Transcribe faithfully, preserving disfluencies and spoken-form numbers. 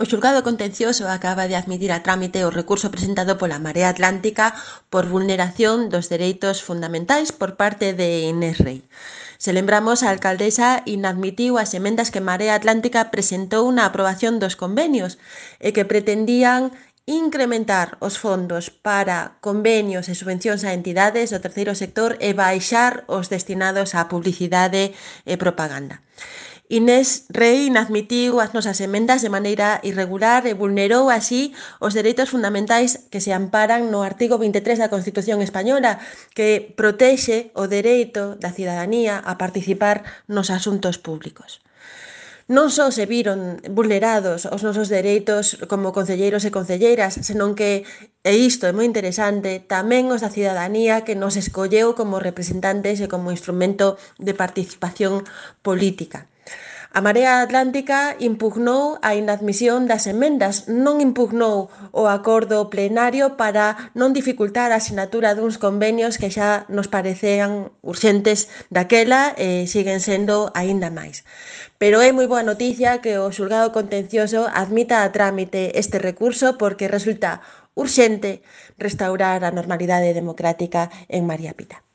O xulgado contencioso acaba de admitir a trámite o recurso presentado pola Marea Atlántica por vulneración dos dereitos fundamentais por parte de Inés Rei. Se lembramos, a alcaldesa inadmitiu as emendas que Marea Atlántica presentou na aprobación dos convenios e que pretendían incrementar os fondos para convenios e subvencións a entidades do terceiro sector e baixar os destinados á publicidade e propaganda. Inés Rei inadmitiu as nosas emendas de maneira irregular e vulnerou así os dereitos fundamentais que se amparan no artigo vinte e tres da Constitución española, que protexe o dereito da cidadanía a participar nos asuntos públicos. Non só se viron vulnerados os nosos dereitos como concelleiros e concelleiras, senón que, e isto é moi interesante, tamén os da cidadanía que nos escolleu como representantes e como instrumento de participación política. A Marea Atlántica impugnou a inadmisión das emendas, non impugnou o acordo plenario para non dificultar a sinatura duns convenios que xa nos parecean urxentes daquela e siguen sendo aínda máis. Pero é moi boa noticia que o xulgado contencioso admita a trámite este recurso porque resulta urxente restaurar a normalidade democrática en María Pita.